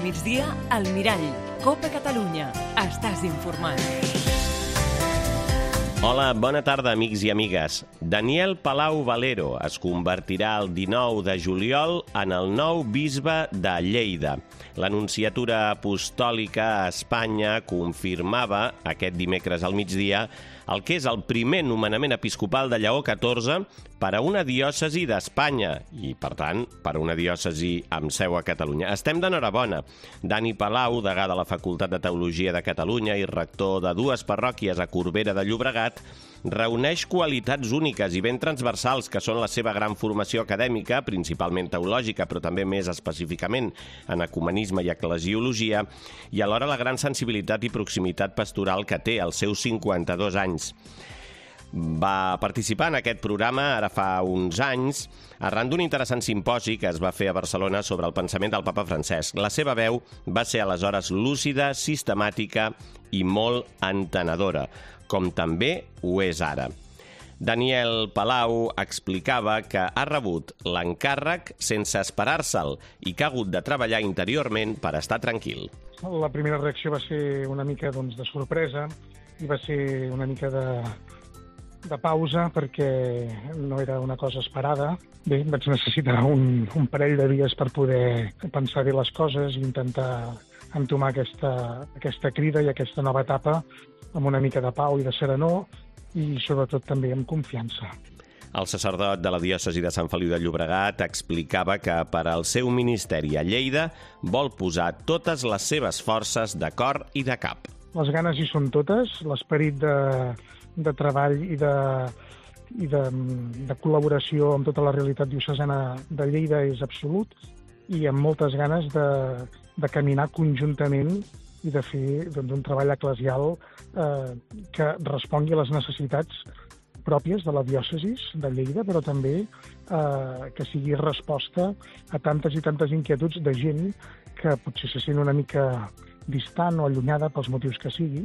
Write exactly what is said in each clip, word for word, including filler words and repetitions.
migdia, al Mirall. Copa Catalunya. Estàs informat. Hola, bona tarda, amics i amigues. Daniel Palau Valero es convertirà el dinou de juliol en el nou bisbe de Lleida. L'Anunciatura Apostòlica a Espanya confirmava aquest dimecres al migdia el que és el primer nomenament episcopal de Lleó catorze per a una diòcesi d'Espanya i, per tant, per a una diòcesi amb seu a Catalunya. Estem d'enhorabona. Dani Palau, degà de la Facultat de Teologia de Catalunya i rector de dues parròquies a Corbera de Llobregat, reuneix qualitats úniques i ben transversals que són la seva gran formació acadèmica, principalment teològica, però també més específicament en ecumenisme i eclesiologia, i alhora la gran sensibilitat i proximitat pastoral que té als seus cinquanta-dos anys. Va participar en aquest programa ara fa uns anys arran d'un interessant simposi que es va fer a Barcelona sobre el pensament del papa Francesc. La seva veu va ser aleshores lúcida, sistemàtica i molt entenedora, com també ho és ara. Daniel Palau explicava que ha rebut l'encàrrec sense esperar-se'l i que ha hagut de treballar interiorment per estar tranquil. La primera reacció va ser una mica doncs, de sorpresa i va ser una mica de, de pausa perquè no era una cosa esperada. Bé, vaig necessitar un, un parell de dies per poder pensar bé les coses i intentar entomar aquesta, aquesta crida i aquesta nova etapa amb una mica de pau i de serenor i sobretot també amb confiança. El sacerdot de la diòcesi de Sant Feliu de Llobregat explicava que per al seu ministeri a Lleida vol posar totes les seves forces de cor i de cap. Les ganes hi són totes, l'esperit de, de treball i, de, i de, de col·laboració amb tota la realitat diocesana de Lleida és absolut i amb moltes ganes de, de caminar conjuntament i de fer doncs, un treball eclesial eh, que respongui a les necessitats pròpies de la diòcesi de Lleida, però també eh, que sigui resposta a tantes i tantes inquietuds de gent que potser se sent una mica distant o allunyada pels motius que sigui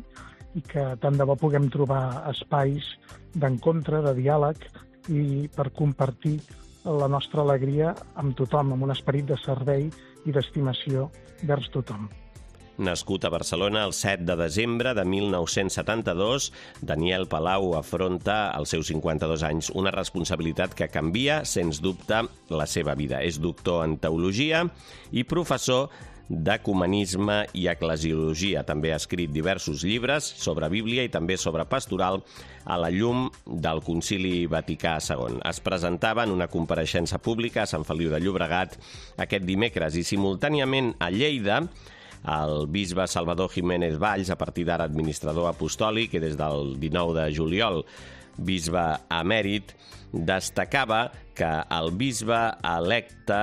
i que tant de bo puguem trobar espais d'encontre, de diàleg i per compartir la nostra alegria amb tothom, amb un esperit de servei i d'estimació vers tothom. Nascut a Barcelona el set de desembre de mil nou-cents setanta-dos, Daniel Palau afronta als seus cinquanta-dos anys una responsabilitat que canvia, sens dubte, la seva vida. És doctor en teologia i professor d'ecumenisme i eclesiologia. També ha escrit diversos llibres sobre Bíblia i també sobre pastoral a la llum del Concili Vaticà segon. Es presentava en una compareixença pública a Sant Feliu de Llobregat aquest dimecres i simultàniament a Lleida el bisbe Salvador Jiménez Valls, a partir d'ara administrador apostòlic i des del dinou de juliol bisbe emèrit, destacava que el bisbe electe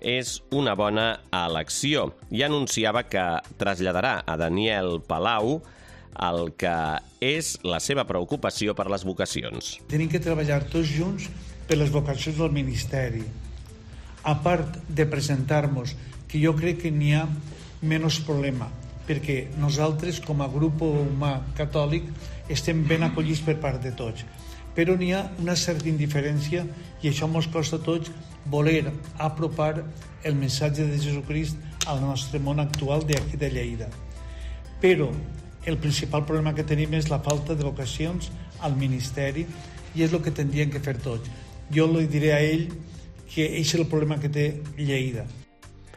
és una bona elecció i anunciava que traslladarà a Daniel Palau el que és la seva preocupació per les vocacions. Tenim que treballar tots junts per les vocacions del ministeri. A part de presentar-nos, que jo crec que n'hi ha menys problema, perquè nosaltres, com a grup humà catòlic, estem ben acollits per part de tots. Però n'hi ha una certa indiferència i això ens costa a tots voler apropar el missatge de Jesucrist al nostre món actual d'aquí de Lleida. Però el principal problema que tenim és la falta de vocacions al ministeri i és el que tindrien que fer tots. Jo li diré a ell que és el problema que té Lleida.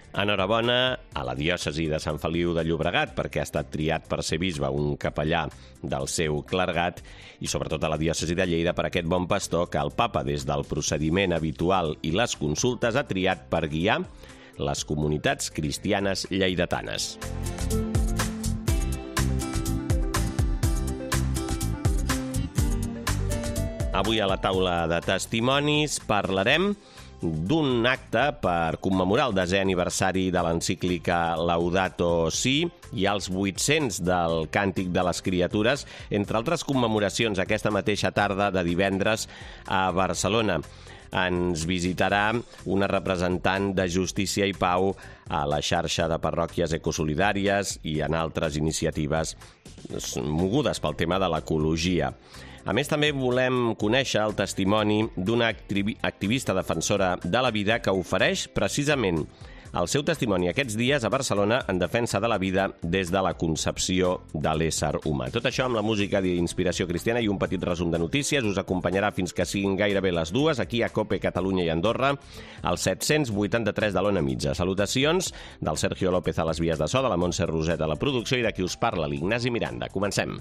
Enhorabona a la diòcesi de Sant Feliu de Llobregat perquè ha estat triat per ser bisbe un capellà del seu clergat i sobretot a la diòcesi de Lleida per aquest bon pastor que el papa des del procediment habitual i les consultes ha triat per guiar les comunitats cristianes lleidatanes. Avui a la taula de testimonis parlarem d'un acte per commemorar el desè aniversari de l'encíclica Laudato Si i els vuit-cents del Càntic de les Criatures, entre altres commemoracions aquesta mateixa tarda de divendres a Barcelona. Ens visitarà una representant de Justícia i Pau a la xarxa de parròquies ecosolidàries i en altres iniciatives mogudes pel tema de l'ecologia. A més, també volem conèixer el testimoni d'una activista defensora de la vida que ofereix precisament el seu testimoni aquests dies a Barcelona en defensa de la vida des de la concepció de l'ésser humà. Tot això amb la música d'Inspiració Cristiana i un petit resum de notícies us acompanyarà fins que siguin gairebé les dues, aquí a COPE Catalunya i Andorra, al set-cents vuitanta-tres de l'Ona Mitja. Salutacions del Sergio López a les vies de so, de la Montse Roset a la producció i de qui us parla, l'Ignasi Miranda. Comencem.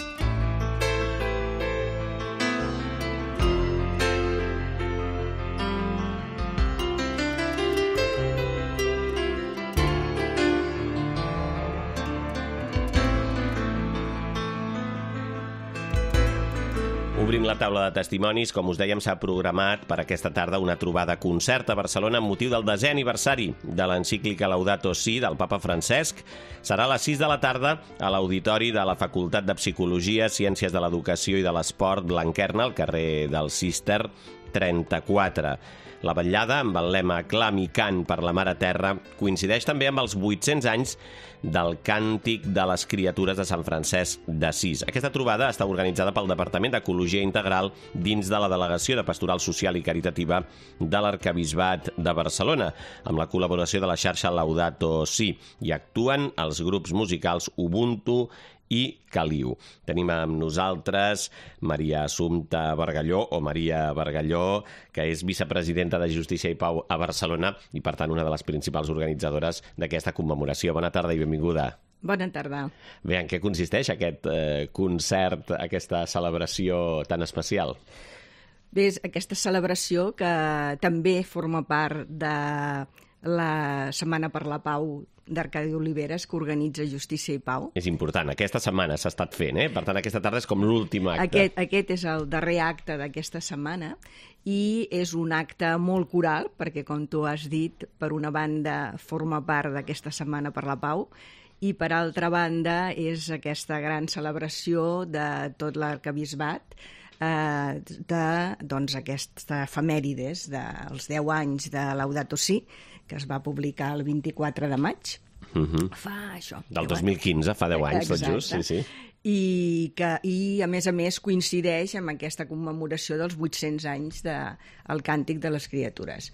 Obrim la taula de testimonis. Com us dèiem, s'ha programat per aquesta tarda una trobada concert a Barcelona amb motiu del desè aniversari de l'encíclica Laudato Si del papa Francesc. Serà a les sis de la tarda a l'auditori de la Facultat de Psicologia, Ciències de l'Educació i de l'Esport Blanquerna, al carrer del Cister trenta-quatre. La vetllada, amb el lema Clam i cant per la Mare Terra, coincideix també amb els vuit-cents anys del Càntic de les Criatures de Sant Francesc d'Assís. Aquesta trobada està organitzada pel Departament d'Ecologia Integral dins de la Delegació de Pastoral Social i Caritativa de l'Arquebisbat de Barcelona, amb la col·laboració de la xarxa Laudato Si. Hi actuen els grups musicals Ubuntu i Caliu. Tenim amb nosaltres Maria Assumpta Bargalló, o Maria Bargalló, que és vicepresidenta de Justícia i Pau a Barcelona i, per tant, una de les principals organitzadores d'aquesta commemoració. Bona tarda i benvinguda. Bona tarda. Bé, en què consisteix aquest eh, concert, aquesta celebració tan especial? Bé, és aquesta celebració que també forma part de la Setmana per la Pau d'Arcadi Oliveres, que organitza Justícia i Pau. És important. Aquesta setmana s'ha estat fent, eh? Per tant, aquesta tarda és com l'últim acte. Aquest, aquest és el darrer acte d'aquesta setmana i és un acte molt coral, perquè, com tu has dit, per una banda forma part d'aquesta Setmana per la Pau i, per altra banda, és aquesta gran celebració de tot l'arquebisbat eh, de doncs, aquesta efemèrides dels deu anys de Laudato Si, que es va publicar el vint-i-quatre de maig. Uh-huh. Fa això. Del dos mil quinze, fa deu anys, tot just. Sí, sí. I, que, I, a més a més, coincideix amb aquesta commemoració dels vuit-cents anys del de, Càntic de les Criatures.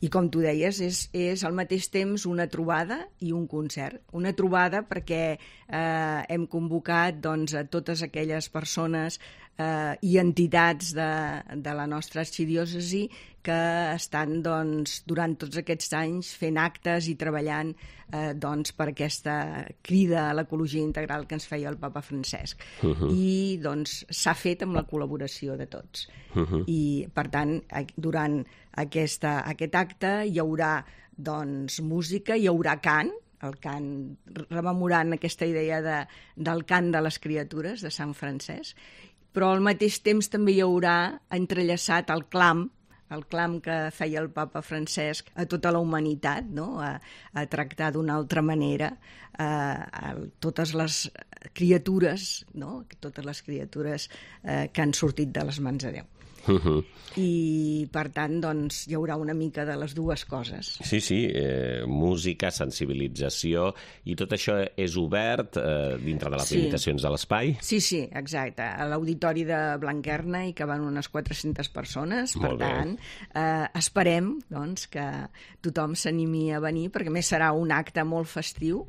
I, com tu deies, és, és al mateix temps una trobada i un concert. Una trobada perquè eh, hem convocat doncs, a totes aquelles persones eh, i entitats de, de la nostra arxidiòcesi que estan doncs, durant tots aquests anys fent actes i treballant eh, doncs, per aquesta crida a l'ecologia integral que ens feia el papa Francesc. Uh-huh. I doncs, s'ha fet amb la col·laboració de tots. Uh-huh. I, per tant, durant aquesta, aquest acte hi haurà doncs, música, hi haurà cant, el cant rememorant aquesta idea de, del cant de les criatures de Sant Francesc, però al mateix temps també hi haurà entrellaçat el clam, el clam que feia el papa Francesc a tota la humanitat, no? a, a tractar d'una altra manera a, a totes les criatures, no? totes les criatures eh, que han sortit de les mans de Déu. Uh-huh. I, per tant, doncs, hi haurà una mica de les dues coses. Sí, sí, eh, música, sensibilització, i tot això és obert eh, dintre de les sí. limitacions de l'espai? Sí, sí, exacte. A l'auditori de Blanquerna hi caben unes quatre-centes persones, per tant, eh, esperem doncs, que tothom s'animi a venir, perquè a més serà un acte molt festiu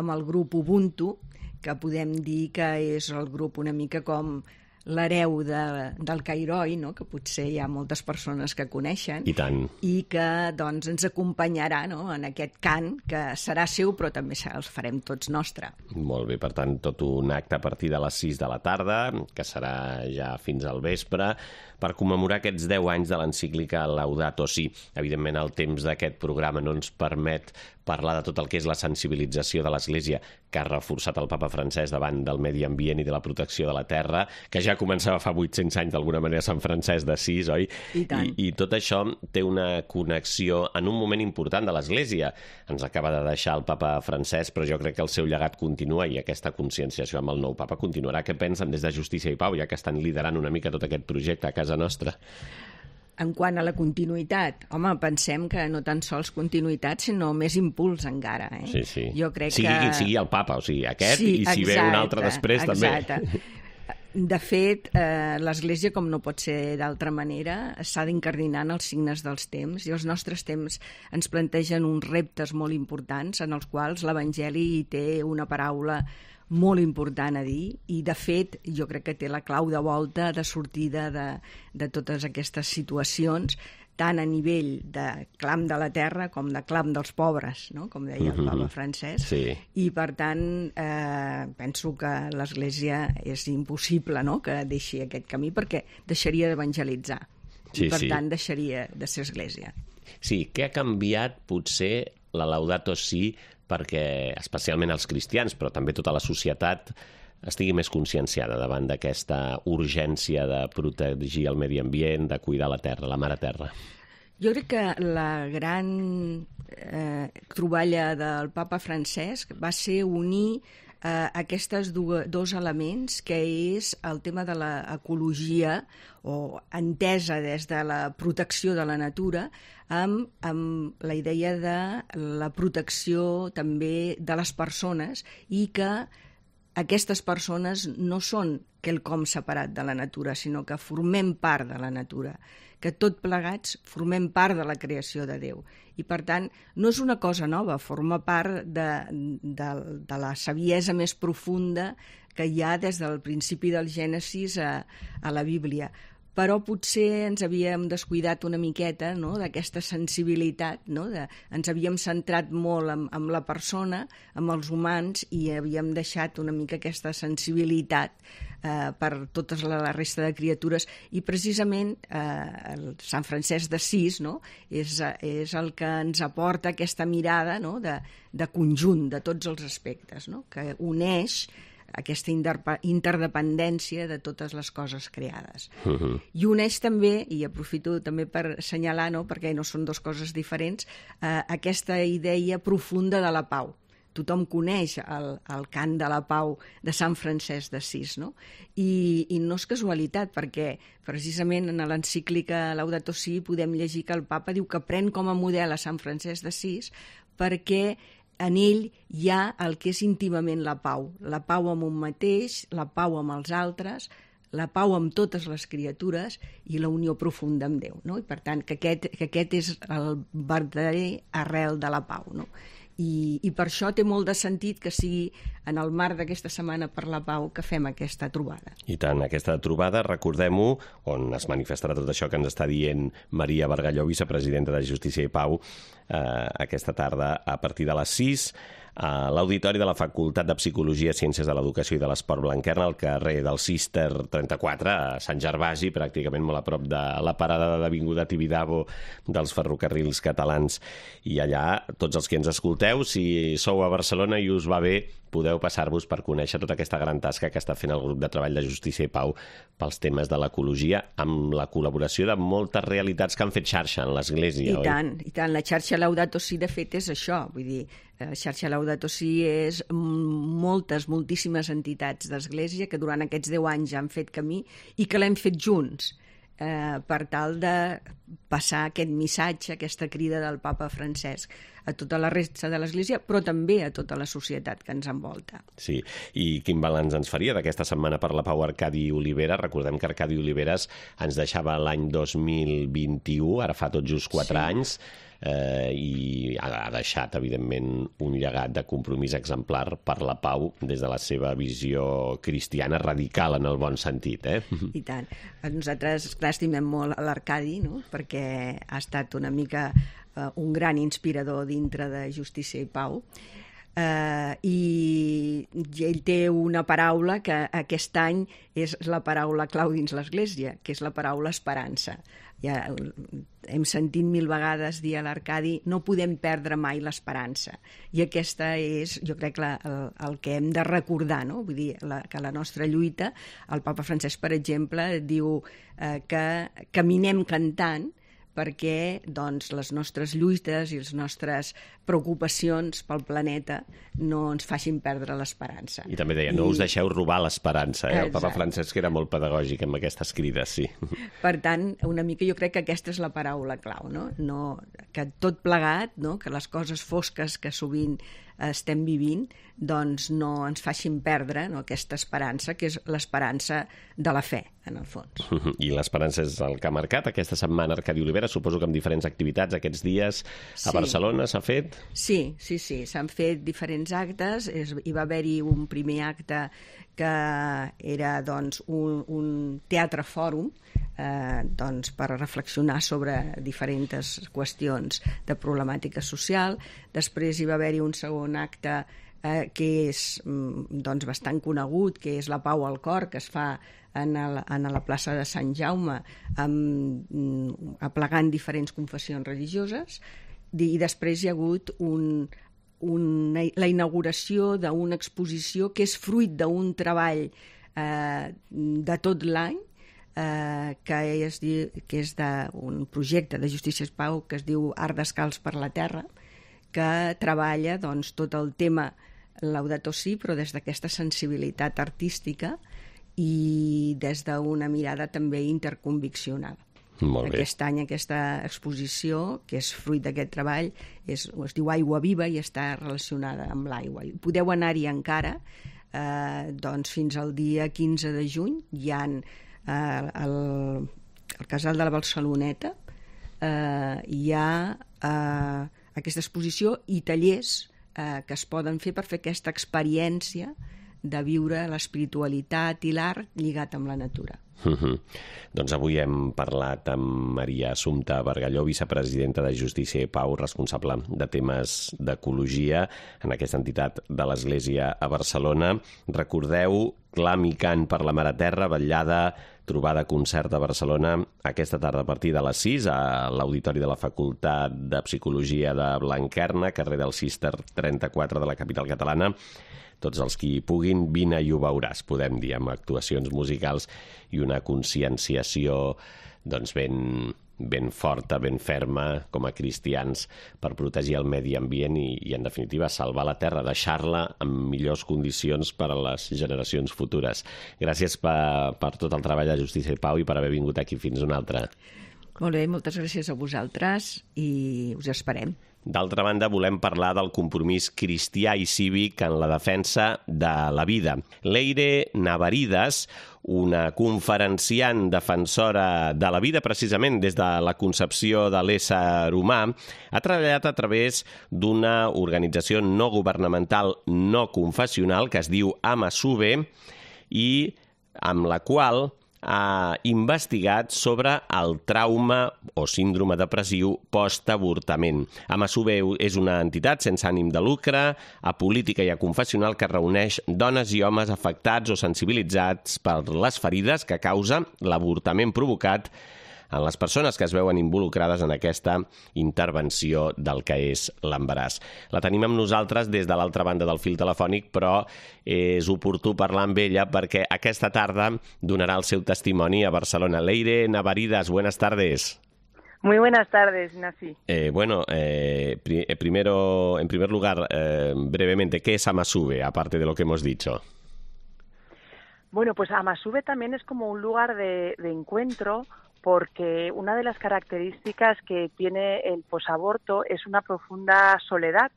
amb el grup Ubuntu, que podem dir que és el grup una mica com l'hereu de, del Cairoi, no? Que potser hi ha moltes persones que coneixen. I tant. I que doncs, ens acompanyarà, no? En aquest cant, que serà seu, però també els farem tots nostre. Molt bé, per tant, tot un acte a partir de les sis de la tarda, que serà ja fins al vespre, per commemorar aquests deu anys de l'encíclica Laudato Si. Evidentment, el temps d'aquest programa no ens permet parlar de tot el que és la sensibilització de l'Església que ha reforçat el papa Francesc davant del medi ambient i de la protecció de la terra, que ja començava fa vuit-cents anys d'alguna manera Sant Francesc d'Assís, oi? I tant. I, I tot això té una connexió en un moment important de l'Església. Ens acaba de deixar el papa Francesc, però jo crec que el seu llegat continua i aquesta conscienciació amb el nou papa continuarà. Què pensen des de Justícia i Pau, ja que estan liderant una mica tot aquest projecte a casa nostra? En quant a la continuïtat, home, pensem que no tan sols continuïtat, sinó més impuls encara. Eh? Sí, sí. Jo crec sigui que... qui sigui el papa, o sigui, aquest, sí, i si exacte, ve un altre després, exacte. també. De fet, eh, l'Església, com no pot ser d'altra manera, s'ha d'incardinar en els signes dels temps, i els nostres temps ens plantegen uns reptes molt importants en els quals l'Evangeli té una paraula molt important a dir, i de fet jo crec que té la clau de volta de sortida de, de totes aquestes situacions, tant a nivell de clam de la terra com de clam dels pobres, no? Com deia el Papa Francesc. Sí. I, per tant, eh, penso que l'Església és impossible, no?, que deixi aquest camí, perquè deixaria d'evangelitzar. Sí, I, per sí. tant, deixaria de ser Església. Sí, què ha canviat, potser, la Laudato Si perquè, especialment els cristians, però també tota la societat, estigui més conscienciada davant d'aquesta urgència de protegir el medi ambient, de cuidar la terra, la mare terra? Jo crec que la gran eh, troballa del Papa Francesc va ser unir eh, aquests dos elements, que és el tema de l'ecologia, o entesa des de la protecció de la natura, amb, amb la idea de la protecció també de les persones, i que aquestes persones no són quelcom separat de la natura, sinó que formem part de la natura, que tot plegats formem part de la creació de Déu. I, per tant, no és una cosa nova, forma part de, de, de la saviesa més profunda que hi ha des del principi del Gènesis a, a la Bíblia. Però potser ens havíem descuidat una miqueta, no?, d'aquesta sensibilitat, no?, de, ens havíem centrat molt en, en la persona, en els humans, i havíem deixat una mica aquesta sensibilitat eh, per tota la, la resta de criatures, i precisament eh, el Sant Francesc d'Assís, no?, és, és el que ens aporta aquesta mirada, no?, de, de conjunt de tots els aspectes, no?, que uneix aquesta interdependència de totes les coses creades. Uh-huh. I uneix també, i aprofito també per assenyalar, no?, perquè no són dues coses diferents, eh, aquesta idea profunda de la pau. Tothom coneix el, el cant de la pau de Sant Francesc d'Assís, no? I, i no és casualitat, perquè precisament en l'encíclica Laudato Si podem llegir que el papa diu que pren com a model a Sant Francesc d'Assís perquè en ell hi ha el que és íntimament la pau, la pau amb un mateix, la pau amb els altres, la pau amb totes les criatures i la unió profunda amb Déu, no? I, per tant, que aquest, que aquest és el verdader arrel de la pau, no? I, i per això té molt de sentit que sigui en el marc d'aquesta Setmana per la Pau que fem aquesta trobada. I tant, aquesta trobada, recordem-ho, on es manifestarà tot això que ens està dient Maria Bargalló, vicepresidenta de Justícia i Pau, eh, aquesta tarda a partir de les sis, a l'Auditori de la Facultat de Psicologia, Ciències de l'Educació i de l'Esport Blanquerna, al carrer del Cister trenta-quatre, a Sant Gervasi, pràcticament molt a prop de la parada d'Avinguda Tibidabo dels ferrocarrils catalans. I allà, tots els que ens escolteu, si sou a Barcelona i us va bé, podeu passar-vos per conèixer tota aquesta gran tasca que està fent el grup de treball de Justícia i Pau pels temes de l'ecologia, amb la col·laboració de moltes realitats que han fet xarxa en l'Església, oi? I tant, i tant. La xarxa Laudato Si, de fet, és això. Vull dir, la xarxa Laudato Si és moltes, moltíssimes entitats d'Església que durant aquests deu anys han fet camí i que l'hem fet junts, eh, per tal de passar aquest missatge, aquesta crida del Papa Francesc a tota la resta de l'Església, però també a tota la societat que ens envolta. Sí, i quin balanç ens faria d'aquesta Setmana per la Pau Arcadi Olivera? Recordem que Arcadi Oliveres ens deixava l'any dos mil vint-i-u, ara fa tot just quatre sí. anys, eh, i ha deixat, evidentment, un llegat de compromís exemplar per la pau des de la seva visió cristiana radical en el bon sentit, eh? I tant. Nosaltres, clar, estimem molt l'Arcadi, no?, perquè ha estat una mica Uh, un gran inspirador dintre de Justícia i Pau, uh, i ell té una paraula que aquest any és la paraula clau dins l'Església, que és la paraula esperança. Ja hem sentit mil vegades dir a l'Arcadi, no podem perdre mai l'esperança, i aquesta és, jo crec, la, el, el que hem de recordar, no? Vull dir, la, que la nostra lluita, el Papa Francesc, per exemple, diu eh, que caminem cantant, perquè doncs, les nostres lluites i les nostres preocupacions pel planeta no ens facin perdre l'esperança. I també deia, no I... us deixeu robar l'esperança. Eh? El Papa Francesc era molt pedagògic amb aquestes crides, sí. Per tant, una mica jo crec que aquesta és la paraula clau, no? No, que tot plegat, no? Que les coses fosques que sovint estem vivint, doncs no ens facin perdre, no, aquesta esperança, que és l'esperança de la fe, en el fons. I l'esperança és el que ha marcat aquesta setmana Arcadi Olivera, suposo que amb diferents activitats aquests dies a Sí. Barcelona s'ha fet? Sí, sí, sí, s'han fet diferents actes, és, hi va haver-hi un primer acte que era doncs, un, un teatre fòrum, eh, doncs, per reflexionar sobre diferents qüestions de problemàtica social. Després hi va haver-hi un segon acte eh, que és doncs, bastant conegut, que és la Pau al Cor, que es fa en, el, en la plaça de Sant Jaume, amb, aplegant diferents confessions religioses, i després hi ha hagut un, una, la inauguració d'una exposició que és fruit d'un treball eh, de tot l'any, eh, que és, que és d'un projecte de Justícia i Pau que es diu Art Descalç per la Terra, que treballa doncs, tot el tema Laudato Si, però des d'aquesta sensibilitat artística i des d'una mirada també interconviccional. Molt bé. Aquest any aquesta exposició, que és fruit d'aquest treball, és, es diu Aigua Viva i està relacionada amb l'aigua. Podeu anar-hi encara, eh, doncs fins al dia quinze de juny. Hi ha eh, el, el Casal de la Barceloneta, eh, hi ha eh, aquesta exposició i tallers eh, que es poden fer per fer aquesta experiència de viure l'espiritualitat i l'art lligat amb la natura. Uh -huh. Doncs avui hem parlat amb Maria Assumpta Bargalló, vicepresidenta de Justícia i Pau, responsable de temes d'ecologia en aquesta entitat de l'Església a Barcelona. Recordeu, Clam i cant per la Mare Terra, vetllada, trobada concert a Barcelona aquesta tarda a partir de les sis a l'Auditori de la Facultat de Psicologia de Blanquerna, carrer del Cister trenta-quatre de la capital catalana. Tots els qui puguin, vine i ho veuràs, podem dir, amb actuacions musicals i una conscienciació doncs, ben, ben forta, ben ferma, com a cristians, per protegir el medi ambient i, i en definitiva, salvar la Terra, deixar-la en millors condicions per a les generacions futures. Gràcies per, per tot el treball de Justícia i Pau i per haver vingut aquí fins una altra. Molt bé, moltes gràcies a vosaltres i us esperem. D'altra banda, volem parlar del compromís cristià i cívic en la defensa de la vida. Leire Navaridas, una conferenciant defensora de la vida precisament des de la concepció de l'ésser humà, ha treballat a través d'una organització no governamental no confessional que es diu Amasube i amb la qual ha investigat sobre el trauma o síndrome depressiu post-avortament. Amasube és una entitat sense ànim de lucre, apolítica i aconfessional que reuneix dones i homes afectats o sensibilitzats per les ferides que causa l'avortament provocat en les persones que es veuen involucrades en aquesta intervenció del que és l'embaràs. La tenim amb nosaltres des de l'altra banda del fil telefònic, però és oportú parlar amb ella perquè aquesta tarda donarà el seu testimoni a Barcelona. Leire Navaridas, buenas tardes. Muy buenas tardes, Nasi. Eh, bueno, eh, pri primero, en primer lugar, eh, brevemente, ¿qué es Amasube, aparte de lo que hemos dicho? Bueno, pues Amasube también es como un lugar de, de encuentro, porque una de las características que tiene el posaborto es una profunda soledad.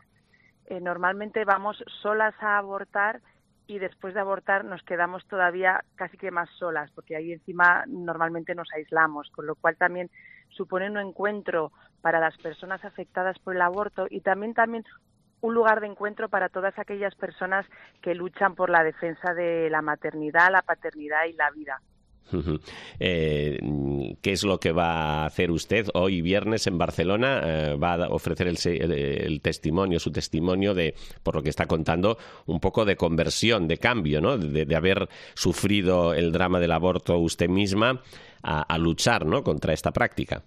Eh, normalmente vamos solas a abortar y después de abortar nos quedamos todavía casi que más solas, porque ahí encima normalmente nos aislamos, con lo cual también supone un encuentro para las personas afectadas por el aborto y también, también un lugar de encuentro para todas aquellas personas que luchan por la defensa de la maternidad, la paternidad y la vida. Eh, ¿Qué es lo que va a hacer usted hoy viernes en Barcelona? Eh, va a ofrecer el, el, el testimonio, su testimonio de, por lo que está contando, un poco de conversión, de cambio, ¿no? De, de haber sufrido el drama del aborto usted misma a, a luchar, ¿no?, contra esta práctica.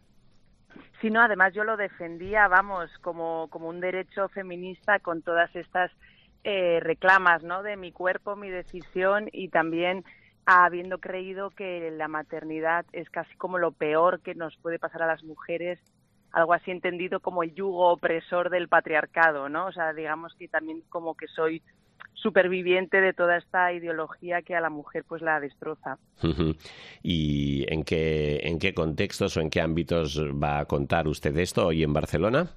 Sí, no, además yo lo defendía, vamos, como, como un derecho feminista con todas estas eh, reclamas, ¿no?, de mi cuerpo, mi decisión y también habiendo creído que la maternidad es casi como lo peor que nos puede pasar a las mujeres, algo así entendido como el yugo opresor del patriarcado, ¿no? O sea, digamos que también como que soy superviviente de toda esta ideología que a la mujer pues la destroza. ¿Y en qué, en qué contextos o en qué ámbitos va a contar usted esto hoy en Barcelona?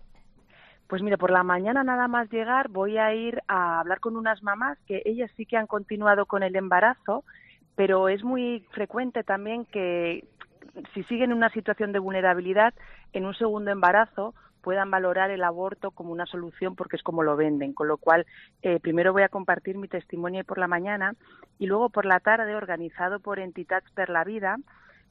Pues mira, por la mañana nada más llegar voy a ir a hablar con unas mamás que ellas sí que han continuado con el embarazo, pero es muy frecuente también que si siguen en una situación de vulnerabilidad, en un segundo embarazo puedan valorar el aborto como una solución porque es como lo venden. Con lo cual, eh, primero voy a compartir mi testimonio por la mañana y luego por la tarde, organizado por Entitats per la Vida,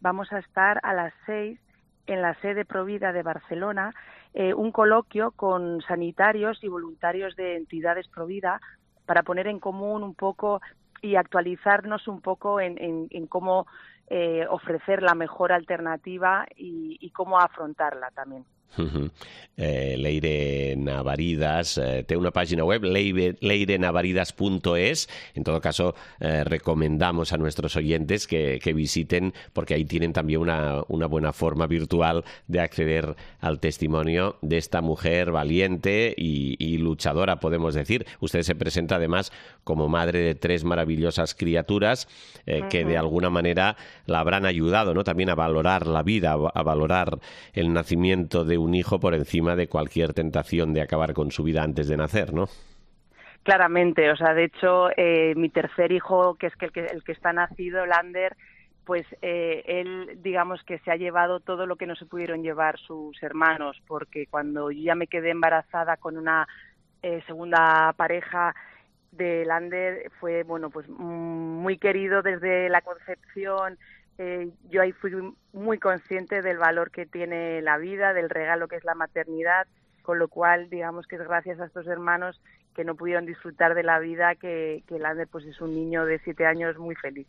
vamos a estar a las seis en la sede Provida de Barcelona, eh, un coloquio con sanitarios y voluntarios de entidades Provida para poner en común un poco y actualizarnos un poco en, en, en cómo eh, ofrecer la mejor alternativa y, y cómo afrontarla también. Uh-huh. eh, Leire Navaridas eh, té una página web, leire navaridas punto es. En todo caso, eh, recomendamos a nuestros oyentes que, que visiten, porque ahí tienen también una, una buena forma virtual de acceder al testimonio de esta mujer valiente y, y luchadora, podemos decir. Usted se presenta además como madre de tres maravillosas criaturas eh, uh-huh. que de alguna manera la habrán ayudado, ¿no?, también a valorar la vida, a valorar el nacimiento de un hijo por encima de cualquier tentación de acabar con su vida antes de nacer, ¿no? Claramente, o sea, de hecho, eh, mi tercer hijo, que es que el, que el que está nacido, Lander, pues eh, él, digamos que se ha llevado todo lo que no se pudieron llevar sus hermanos, porque cuando yo ya me quedé embarazada con una eh, segunda pareja de Lander, fue, bueno, pues muy querido desde la concepción. Eh, yo ahí fui muy consciente del valor que tiene la vida, del regalo que es la maternidad, con lo cual, digamos que es gracias a estos hermanos que no pudieron disfrutar de la vida, que, que Lander pues es un niño de siete años muy feliz.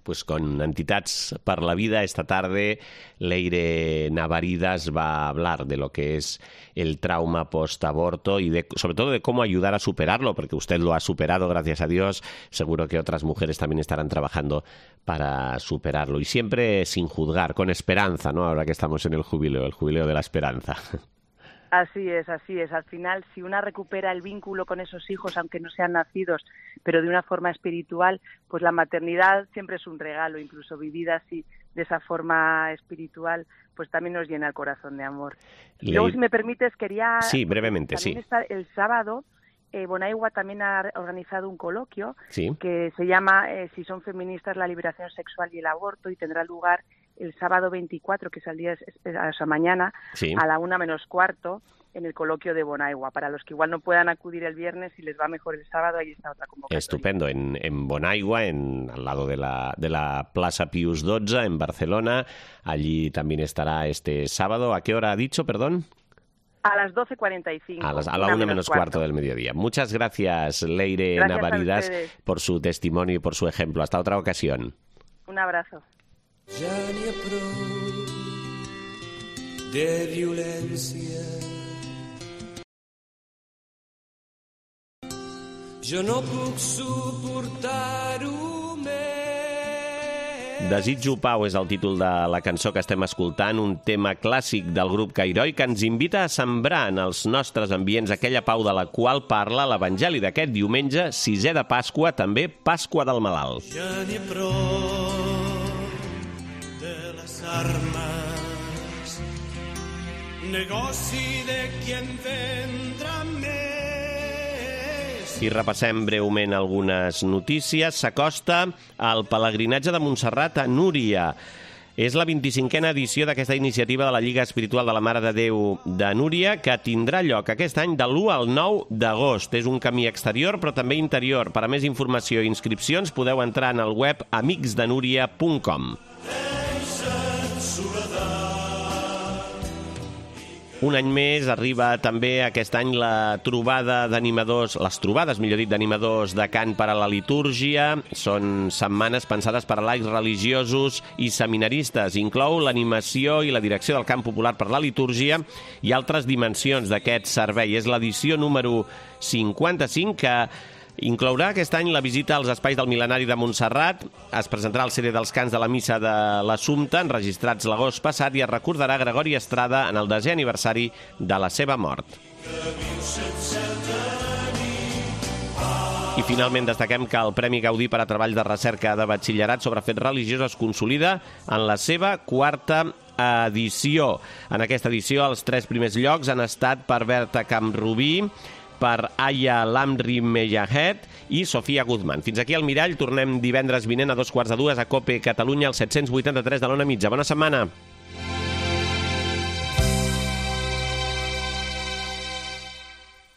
Pues con Entitats per la Vida esta tarde Leire Navaridas va a hablar de lo que es el trauma post-aborto y de, sobre todo de cómo ayudar a superarlo, porque usted lo ha superado, gracias a Dios. Seguro que otras mujeres también estarán trabajando para superarlo y siempre sin juzgar, con esperanza, ¿no? Ahora que estamos en el jubileo, el jubileo de la esperanza. Así es, así es. Al final, si una recupera el vínculo con esos hijos, aunque no sean nacidos, pero de una forma espiritual, pues la maternidad siempre es un regalo, incluso vivida así, de esa forma espiritual, pues también nos llena el corazón de amor. Y luego, si me permites, quería... Sí, brevemente, también sí. Está el sábado, eh, Bonaigua también ha organizado un coloquio sí. que se llama eh, Si son feministas, la liberación sexual y el aborto, y tendrá lugar el sábado veinticuatro, que es el día, o sea, mañana, sí. a la una menos cuarto, en el coloquio de Bonaigua. Para los que igual no puedan acudir el viernes, si les va mejor el sábado, ahí está otra convocatoria. Estupendo, en, en Bonaigua, en, al lado de la, de la Plaza Pius doce, en Barcelona. Allí también estará este sábado. ¿A qué hora ha dicho, perdón? A las doce cuarenta y cinco. A, las, a la una, una menos cuarto. cuarto del mediodía. Muchas gracias, Leire gracias Navaridas, por su testimonio y por su ejemplo. Hasta otra ocasión. Un abrazo. Ja n'hi ha prou de violència. Jo no puc suportar-ho més. Desitjo pau és el títol de la cançó que estem escoltant, un tema clàssic del grup Cairoi que ens invita a sembrar en els nostres ambients aquella pau de la qual parla l'Evangeli d'aquest diumenge, sisè de Pasqua, també Pasqua del Malalt. Ja n'hi ha prou armes, negoci de qui en vendrà més. I repassem breument algunes notícies. S'acosta el pelegrinatge de Montserrat a Núria. És la vint-i-cinquena edició d'aquesta iniciativa de la Lliga Espiritual de la Mare de Déu de Núria, que tindrà lloc aquest any de l'u al nou d'agost. És un camí exterior, però també interior. Per a més informació i inscripcions podeu entrar en el web amics de núria punt com. Un any més arriba també aquest any la trobada d'animadors, les trobades, millor dit, d'animadors de cant per a la litúrgia. Són setmanes pensades per a laics religiosos i seminaristes. Inclou l'animació i la direcció del cant popular per la litúrgia i altres dimensions d'aquest servei. És l'edició número cinquanta-cinc que inclourà aquest any la visita als espais del Mil·lenari de Montserrat, es presentarà el C D dels cants de la Missa de l'Assumpte, enregistrats l'agost passat, i es recordarà Gregori Estrada en el desè aniversari de la seva mort. I finalment destaquem que el Premi Gaudí per a treballs de recerca de batxillerat sobre fets religiosos es consolida en la seva quarta edició. En aquesta edició els tres primers llocs han estat per Berta Camprubí, per Aya Lamri Meyahed i Sofia Guzmán. Fins aquí el Mirall. Tornem divendres vinent a dos quarts de dues a COPE Catalunya, al set cents vuitanta-tres de l'Ona Mitja. Bona setmana.